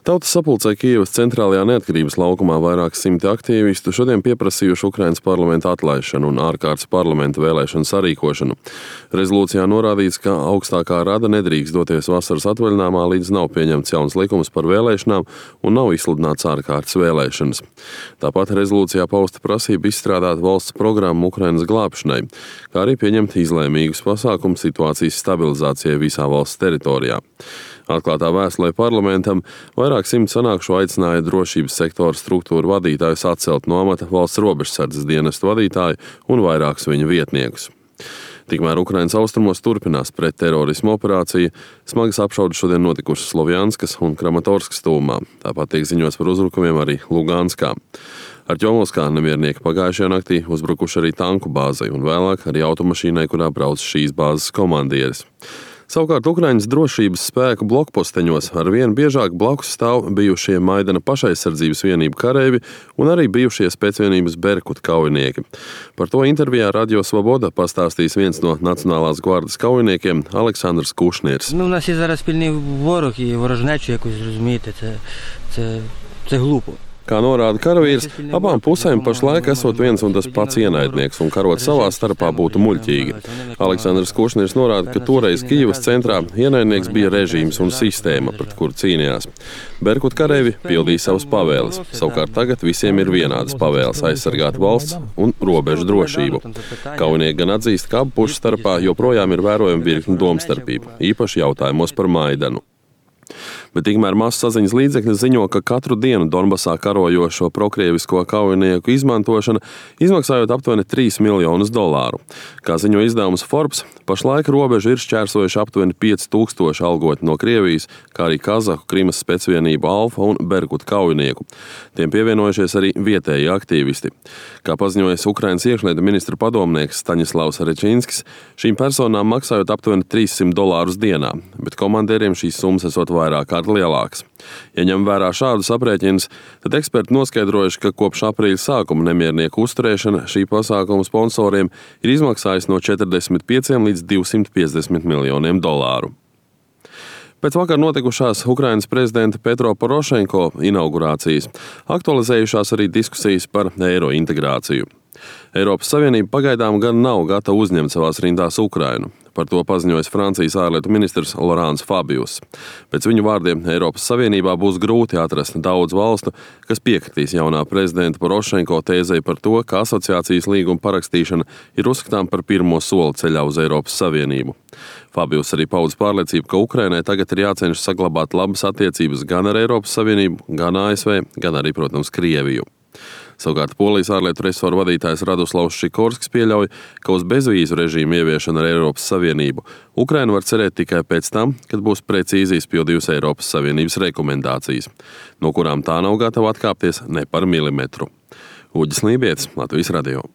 Tautas sapulcē Kijevas centrālajā Neatkarības laukumā vairāk simti aktīvistu šodien pieprasījuši Ukrainas parlamenta atlaišanu un ārkārtas parlamenta vēlēšanu sarīkošanu. Rezolūcijā norādīts, ka augstākā rada nedrīkst doties vasaras atvaļinājumā, līdz nav pieņemts jauns likums par vēlēšanām un nav izsludināts ārkārtas vēlēšanas. Tāpat rezolūcijā pausta prasība izstrādāt valsts programmu Ukrainas glābšanai, kā arī pieņemt izlēmīgus pasākumus situācijas stabilizācijai visā valsts teritorijā. Atklātā vēstulē parlamentam vairāk simt sanākšo aicināja drošības sektora struktūru vadītājus atcelt no amata valsts robežsardzes dienestu vadītāju un vairākus viņa vietniekus. Tikmēr Ukrainas austrumos turpinās pretterorismu operācija, smagas apšaudes šodien notikušas Slovjanskas un Kramatorskas tuvumā, tāpat tiek ziņots par uzbrukumiem arī Luganskā. Artjomovskā nemiernieki pagājušajā naktī uzbrukuši arī tanku bāzei un vēlāk arī automašīnai, kurā brauc šīs bāzes komandieris. Savukārt Ukraiņas drošības spēku blokposteņos arvien biežāk blakus stāv bijušie Maidana pašaizsardzības vienību kareivi un arī bijušie spēcvienības Berkut kaujinieki. Par to intervijā Radio Svoboda pastāstīs viens no Nacionālās gvardas kaujiniekiem Aleksandrs Kušnirs. У нас є зараз спільний ворог і ворожнечу якусь, розумієте, це глупо. Kā norāda karavīrs, abām pusēm pašlaik esot viens un tas pats ienaidnieks un karot savā starpā būtu muļķīgi. Aleksandrs Kušnirs norāda, ka toreiz Kijevas centrā ienaidnieks bija režīms un sistēma, pret kuru cīnījās. Berkut kareivi pildīja savas pavēles, savukārt tagad visiem ir vienādas pavēles aizsargāt valsts un robežu drošību. Kaujinieki gan atzīst, ka abu pušu starpā joprojām ir vērojama virkne domstarpību, īpaši jautājumos par Maidanu. Bet tikmēr masasaziņas līdzekļi ziņo, ka katru dienu Donbasā karojošo prokrievisko kaujinieku izmantošana izmaksājot aptuveni $3 miljonus. Kā ziņo izdevums Forbes, pašlaik robežu ir šķērsojuši aptuveni 5000 algoti no Krievijas, kā arī Kazahu Krimas specvienību Alfa un Berkut kaujinieku. Tiem pievienojušies arī vietēji aktīvisti. Kā paziņojas Ukrainas iekšlietu ministra padomnieks Staņislavs Rečinskis, šīm personām maksājot aptuveni $300 dienā, bet komandieriem šīs summas esot vairāk lielāks. Ja ņem vērā šādus aprēķinus, tad eksperti noskaidrojuši, ka kopš aprīļa sākuma nemiernieku uzturēšana šī pasākuma sponsoriem ir izmaksājusi no 45 līdz $250 miljoniem. Pēc vakar notikušās Ukrainas prezidenta Petro Porošenko inaugurācijas aktualizējušās arī diskusijas par eiro integrāciju. Eiropas Savienība pagaidām gan nav gatava uzņemt savās rindās Ukrainu. Par to paziņojas Francijas ārlietu ministrs Laurents Fabius. Pēc viņu vārdiem Eiropas Savienībā būs grūti atrast daudz valstu, kas piekritīs jaunā prezidenta Porošenko tēzei par to, ka asociācijas līguma parakstīšana ir uzskatām par pirmo soli ceļā uz Eiropas Savienību. Fabius arī paudz pārliecību, ka Ukrainai tagad ir jācenšas saglabāt labas attiecības gan ar Eiropas Savienību, gan ASV, gan arī, protams, Krieviju. Savukārt Polijas ārlietu resoru vadītājs Radoslavs Šikorskis pieļauj, ka uz bezvīzu režīmu ieviešanu ar Eiropas Savienību Ukraina var cerēt tikai pēc tam, kad būs precīzi izpildījusi Eiropas Savienības rekomendācijas, no kurām tā nav gatava atkāpties ne par milimetru. Uģis Lībietis, Latvijas radio.